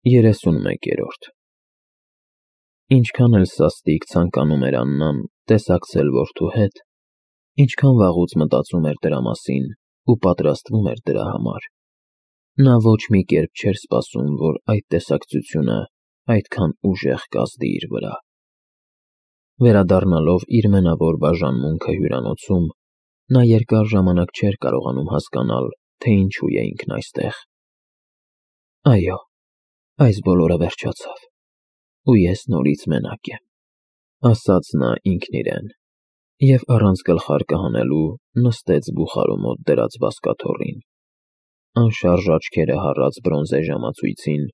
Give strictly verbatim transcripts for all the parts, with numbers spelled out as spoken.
երեսունմեկերորդ Ինչքան էլ սաստիկ ցանկանում էր Աննան տեսակցել որդու հետ, ինչքան վաղուց մտածում էր դրա մասին ու պատրաստվում էր դրա համար, նա ոչ մի կերպ չէր սպասում, որ այդ տեսակցությունը այդքան ուժեղ կազդի իր վրա: Վերադառնալով իր մենավոր բաժանմունքը հյուրանոցում, նա երկար ժամանակ չէր կարողանում հասկանալ, թե ինչու է ինքն այստեղ: Այո, այս բոլորը վերջացավ, ու ես նորից մենակ եմ, ասաց նա ինքն իրեն, և առանց գլխարկը հանելու նստեց բուխարու մոտ դրած բազկաթոռին: Անշարժ աչքերը հառած բրոնզե ժամացույցին,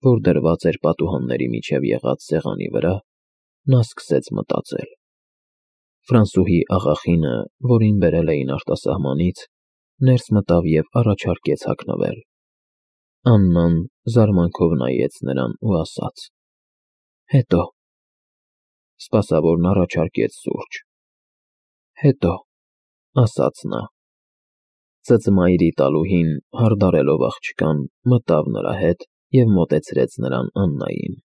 որ դրված էր պատուհանների միջև եղած սեղանի վրա, նա սկսեց մտածել: Ֆրանսուհի աղախինը, որին բերել էին արտասահմանից, ներս մտավ և առաջարկեց հագնվել: Աննան զարմանքով նայեց նրան ու ասաց. Հետո: Սպասավորն առաջարկեց սուրճ: Հետո, ասաց նա: Ծծմայրի տալուհին, հարդարելով աղջկան, մտավ նրա հետ և մոտեցրեց նրան Աննային: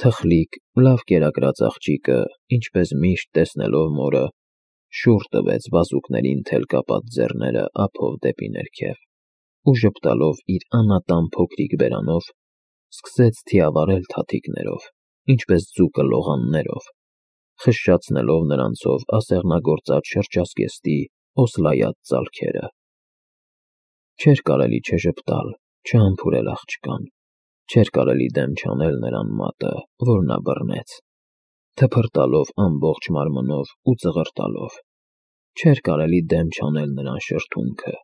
Թխլիկ, լավ կերակրած աղջիկը, ինչպես միշտ տեսնելով մորը, շուռ տվեց բազուկներին թել կապած ձեռները ափով դեպի ներքև ու ժպտալով իր անատան փոքրիկ բերանով, սկսեց թիավարել թաթիկներով, ինչպես ձուկը լողաններով, խշշացնելով նրանցով ասեղնագործած շրջազգեստի օսլայած ծալքերը: Չէր կարելի չժպտալ, չհամբուրել աղջկան, չէր կարելի դեմ չանել նրան մատը, որ նա բռնեց, թփրտալով ամբողջ մարմնով ու ծղրտալով, չէր կարելի դեմ չանել նրան շրթունքը,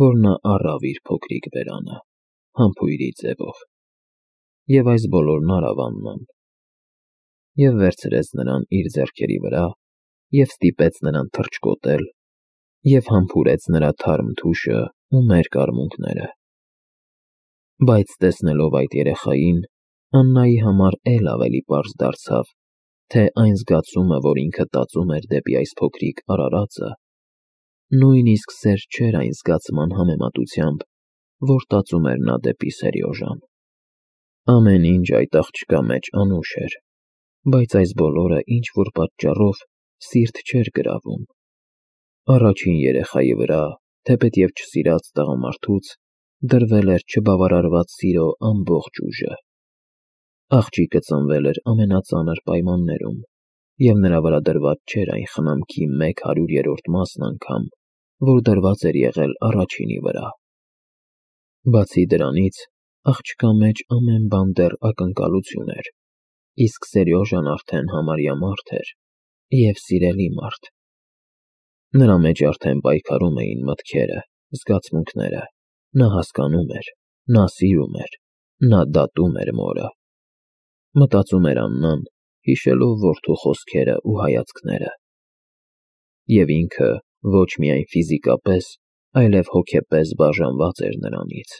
որ նա առավ իր փոքրիկ բերանը, համբույրի ձևով: Եվ այս բոլորն արավ Աննան: Եվ վերցրեց նրան իր ձեռքերի վրա և ստիպեց նրան թռչկոտել և համբուրեց նրա թարմ թուշն ու մերկ արմունկները: Բայց տեսնելով այդ երեխային, Աննայի համար էլ ավելի պարզ դարձավ, թե այն զգացումը, որ ինքը տածում էր դեպի այս փոքրիկ արարածը, նույնիսկ սեր չէր այն զգացման համեմատությամբ, որ տածում էր նա դեպի Սերյոժան: Ամեն ինչ այդ աղջկա մեջ անուշ էր, բայց այս բոլորը ինչ-որ պատճառով սիրտ չէր գրավում: Առաջին երեխայի վրա, թեպետև չսիրած տղամարդուց, դրվել էր չբավարարված սիրո ամբողջ ուժը: Աղջիկը ծնվել էր ամենածանր պայմաններում, և նրա վրա դրված չէր այն խնամքի մեկ հարյուրերորդ մասն անգամ, որ դրված էր եղել առաջինի վրա: Բացի դրանից, աղջկա մեջ ամեն բան դեռ ակնկալություն էր, իսկ Սերյոժան արդեն համարյա մարդ էր և սիրելի մարդ: Նրա մեջ արդեն պայքարում էին մտքերը, զգացմունքները, նա հասկանում էր, նա սիրում էր, նա դատում էր մորը: Մտածում էր Աննան, հիշելով որդու խոսքերն ու հայացքները: Եվ ինքը ոչ միայն ֆիզիկապես, այլև հոգեպես բաժանված էր նրանից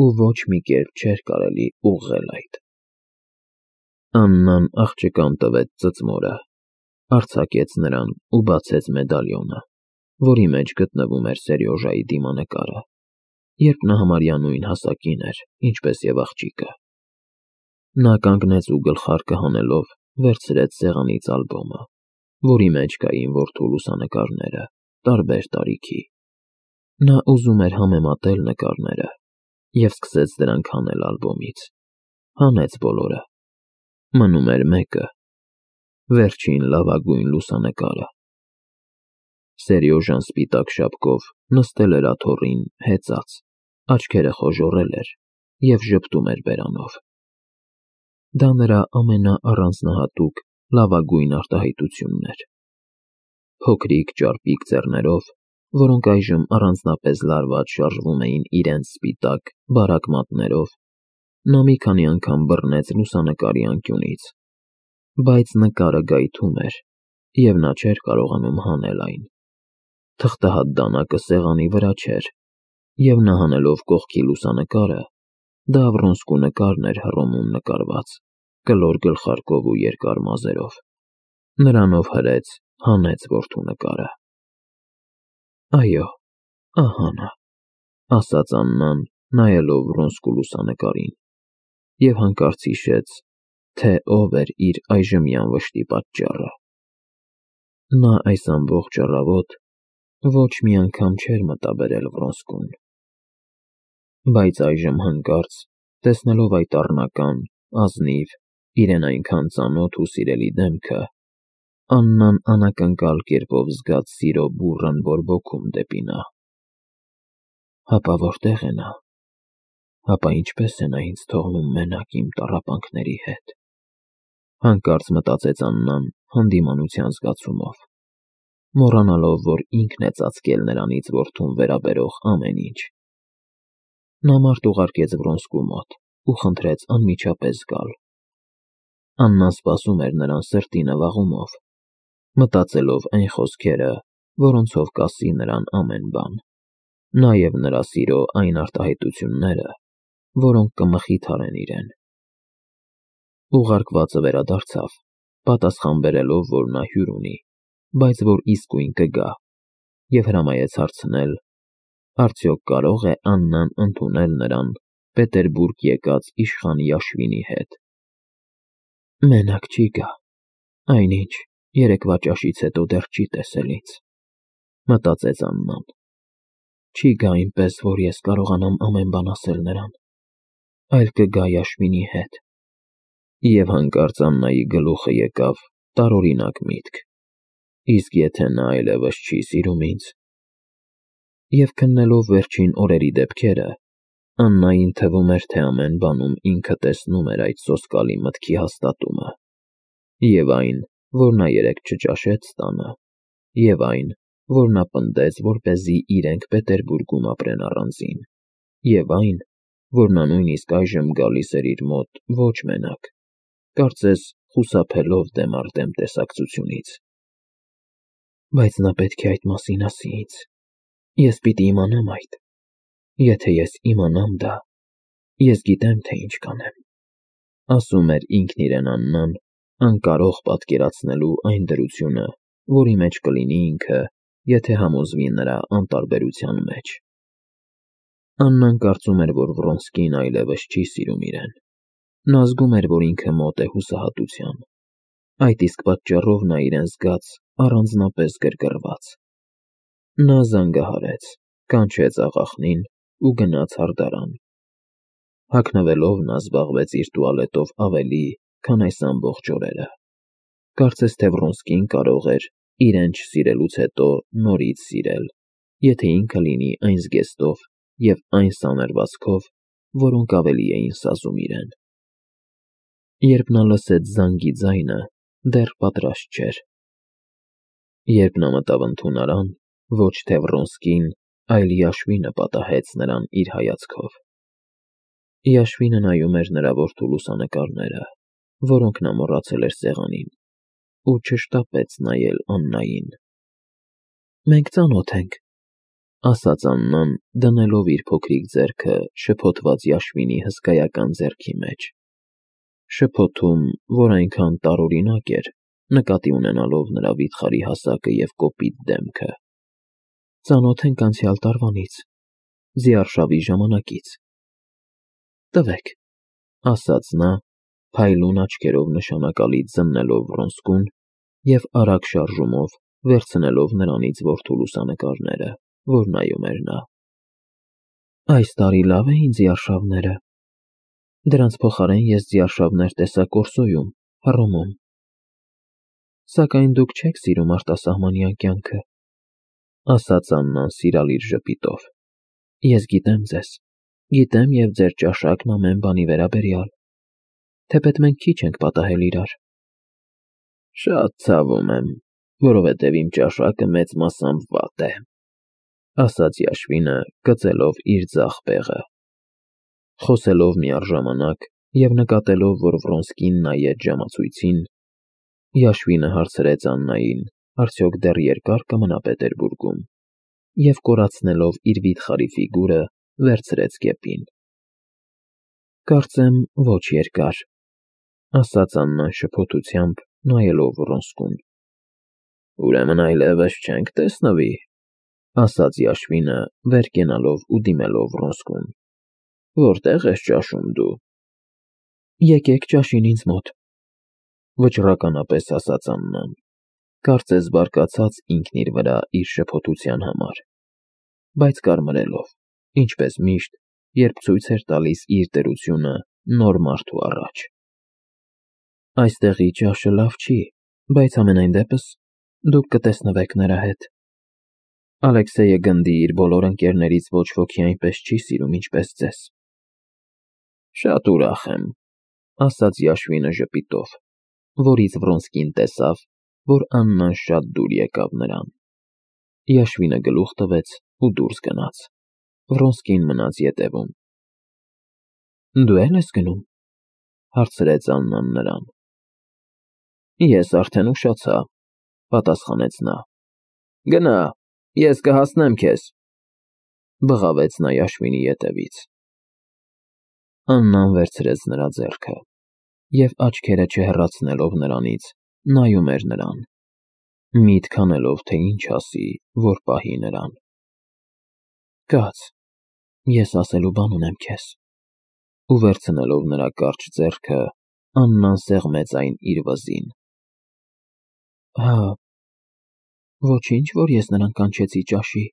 ու ոչ մի կերպ չէր կարելի ուղղել այդ: Աննան աղջկան տվեց ծծմորը, արձակեց նրան ու բացեց մեդալիոնը, որի մեջ գտնվում էր Սերյոժայի դիմանկարը, երբ նա համարյա նույն հասակին էր, ինչպես և աղջիկը: Նա կանգնեց ու գլխարկը հանելով, վերցրեց սեղանից ալբոմը, որի մեջ կային որդու լուսանկարները, տարբեր տարիքի: Նա ուզում էր համեմատել նկարները և սկսեց դրանք հանել ալբոմից: Հանեց բոլորը: Մնում էր մեկը, վերջին լավագույն լուսանկարը: Սերյոժան սպիտակ շապկով նստել էր աթոռին հեծած, աչքերը խոժոռել էր և ժպտում էր բերանով: Դա նրա ամենաառանձնահատուկ, լավագույն արտահայտությունն էր: Փոքրիկ ճարպիկ ձեռներով, որոնք այժմ առանձնապես լարված շարժվում էին իրենց սպիտակ, բարակ մատներով, նա մի քանի անգամ բռնեց լուսանկարի անկյունից, բայց նկարը գայթում էր և նա չէր կարողանում հանել այն: Թղթահատ դանակը սեղանի վրա չէր, և նա հանելով կողքի լուսանկարը, դա Վռոնսկու նկարն էր Հռոմում նկարված, կլոր գլխարկով ու երկար մազերով: Նրանով հրեց, հանեց որդու նկարը: Այո, ահա նա, ասաց Աննան, նայելով Վռոնսկու լուսանկարին: և հանկարծ հիշեց, թե ով էր իր այժմյան վշտի պատճառը։ Նա այս ամբողջ առավոտ ոչ մի անգամ չէր մտաբերել Վրոնսկուն։ Բայց այժմ հանկարծ, տեսնելով այդ առնական, ազնիվ, իրեն այնքան ծանոթ ու սիրելի դեմքը, Աննան անակնկալ կերպով զգաց սիրո բուռն բորբոքում դեպի նա։ Հապա որտե՞ղ է նա։ Հապա ինչպե՞ս է նա ինձ թողնում մենակ իմ տառապանքների հետ։ Հանկարծ մտածեց Աննան հանդիմանության զգացումով, մոռանալով, որ ինքն է ծածկել նրանից որդուն վերաբերող ամեն ինչ։ Նա մարդ ուղարկեց Վրոնսկու մոտ ու խնդրեց անմիջապես գալ։ Աննան սպասում էր նրան սրտի նվաղումով, մտածելով այն խոսքերը, որոնցով կասի նրան ամեն բան, նաև նրա սիրո այն արտահայտությունները, որոնք կմխիթարեն իրեն։ Ուղարկվածը վերադարձավ, պատասխան բերելով, որ նա հյուր ունի, բայց որ իսկույն կգա, և հրամայեց հարցնել, արդյոք կարո՞ղ է Աննան ընդունել նրան Պետերբուրգ եկած իշխան Յաշվինի հետ։ Մենակ չի գա, այնինչ, երեկվա ճաշից հետո դեռ չի տեսել ինձ, մտածեց Աննան։ Չի գա այնպես, որ ես կարողանամ ամեն բան ասել նրան, այլ կգա Յաշվինի հետ։ Եվ հանկարծ Աննայի գլուխը եկավ տարօրինակ միտք. իսկ եթե նա այլևս չի սիրում ինձ։ Եվ քննելով վերջին օրերի դեպքերը, Աննային թվում էր, թե ամեն բանում ինքը տեսնում էր այդ սոսկալի մտքի հաստատումը, և այն, որ նա երեկ չճաշեց տանը, և այն, որ նա պնդեց, որպեսզի իրենք Պետերբուրգում ապրեն առանձին, և այն, որ նա նույնիսկ այժմ գալիս էր իր մոտ ոչ մենակ, կարծես խուսափելով դեմ առ դեմ տեսակցությունից։ Բայց նա պետք է այդ մասին ասի ինձ, ես պիտի իմանամ այդ։ Եթե ես իմանամ դա, ես գիտեմ, թե ինչ կանեմ, ասում էր ինքն իրեն Աննան, անկարող պատկերացնելու այն դրությունը, որի մեջ կլինի ինքը, եթե համոզվի նրա անտարբերության մեջ։ Աննան կարծում էր, որ Վրոնսկին այլևս չի սիրում իրեն։ Նա զգում էր, որ ինքը մոտ է հուսահատության։ Այդ իսկ պատճառով նա իրեն զգաց առանձնապես գրգռված։ Նա զանգահարեց, կանչեց աղախնին ու գնաց հարդարան։ Հագնվելով նա զբաղվեց իր տուալետով ավելի, քան այս ամբողջ օրերը։ Կարծես թե Վրոնսկին կարող էր իրեն չսիրելուց հետո նորից սիրել, եթե ինքը լինի այն զգեստով և այն սանրվածքով, որոնք ավելի էին սազում իրեն։ Երբ նա լսեց զանգի ձայնը, դեռ պատրաստ չէր։ Երբ նա մտավ ընդունարան, ոչ թե Վրոնսկին, այլ Յաշվինը պատահեց նրան իր հայացքով։ Յաշվինը նայում էր նրա որդու լուսանկարները, որոնք նա մոռացել էր սեղանին, ու չշտապեց նայել Աննային։ Մենք ծանոթ ենք, ասաց Աննան, դնելով իր փոքրիկ ձեռքը շփոթված Յաշվինի հսկայական ձեռքի մեջ, շփոթում, որ այնքան տարօրինակ էր, նկատի ունենալով նրա վիթխարի հասակը և կոպիտ դեմքը։ Ծանոթ ենք անցյալ տարվանից, ձիարշավի ժամանակից։ Տվեք, ասաց նա, փայլուն աչքերով նշանակալի ձննելով Վրոնսկուն և արագ շարժումով վերցնելով նրանից որդու լուսանկարները, որ նայում էր նա։ Այս տարի լավ էին ձիարշավները։ Դրանց փոխարեն ես ձիարշավներ տեսա Կորսոյում, Հռոմում։ Սակայն դուք չեք սիրում արտասահմանյան կյանքը, ասաց Աննան սիրալիր ժպիտով։ Ես գիտեմ ձեզ, գիտեմ և ձեր ճաշակն ամեն բանի վերաբերյալ, թեպետ մենք քիչ ենք պատահել իրար։ Շատ ցավում եմ, որովհետև իմ ճաշակը մեծ մասամբ վատ է, ասաց Յաշվինը, կծելով իր ձախ բեղը։ Խոսելով միառժամանակ և նկատելով, որ Վրոնսկին նայեց ժամացույցին, Յաշվինը հարցրեց Աննային, արդյոք դեռ երկա՞ր կմնա Պետերբուրգում, և կորացնելով իր վիթխարի ֆիգուրը, վերցրեց կեպին։ Կարծեմ ոչ երկար, ասաց Աննան շփոթությամբ, նայելով Վրոնսկուն։ Ուրեմն այլևս չենք տեսնվի, ասաց Յաշվինը, վեր կենալով ու դիմելով Վրոնսկուն։ Որտե՞ղ ես ճաշում դու։ Եկեք ճաշին ինձ մոտ, վճռականապես ասաց Աննան, կարծես բարկացած ինքն իր վրա իր շփոթության համար, բայց կարմրելով, ինչպես միշտ, երբ ցույց էր տալիս իր դրությունը նոր մարդու առաջ։ Այստեղի ճաշը լավ չի, բայց համենայն դեպս դուք կտեսնվեք նրա հետ։ Ալեքսեյը գնդի իր բոլոր ընկերներից ոչ ոքի այնպես չի սիրում, ինչպես ձեզ։ Շատ ուրախ եմ, ասաց Յաշվինը ժպիտով, որից Վրոնսկին տեսավ, որ Աննան շատ դուր եկավ նրան։ Յաշվինը գլուխ տվեց ու դուրս գնաց։ Վրոնսկին մնաց ետևում։ Դու է՞լ ես գնում, հարցրեց Աննան նրան։ Ես արդեն ուշացա, պատասխանեց նա։ Գնա, ես կհասնեմ քեզ, բղավեց նա Յաշվինի ետևից։ Աննան վերցրեց նրա ձեռքը և աչքերը չհեռացնելով նրանից, նայում էր նրան, միտք անելով, թե ինչ ասի, որ պահի նրան։ Կաց, ես ասելու բան ունեմ քեզ։ Ու վերցնելով նրա կարճ ձեռքը, Աննան սեղմեց այն իր վզին։ Հա, ոչինչ, որ ես նրան կանչեցի ճաշի։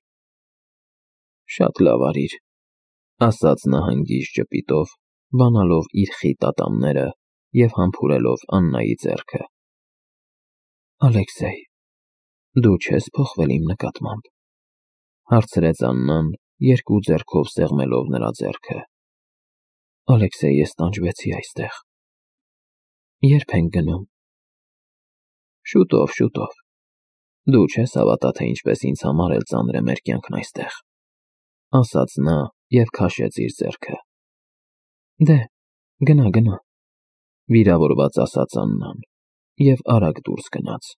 Շատ լավ արիր, ասաց նա հանգիստ ժպիտով, բանալով իր խիտ ատամները և համբուրելով Աննայի ձեռքը։ Ալեքսեյ, դու չես փոխվել իմ նկատմամբ, հարցրեց Աննան, երկու ձեռքով սեղմելով նրա ձեռքը։ Ալեքսեյ, ես տանջվեցի այստեղ։ Ե՞րբ ենք գնում։ Շուտով, շուտով։ Դու չես հավատա, թե ինչպես ինձ համար էլ ծանր է մեր կյանքն այստեղ, ասաց նա և քաշեց իր ձեռքը։ Դե, գնա, գնա, վիրավորված ասաց Աննան և արագ դուրս գնաց։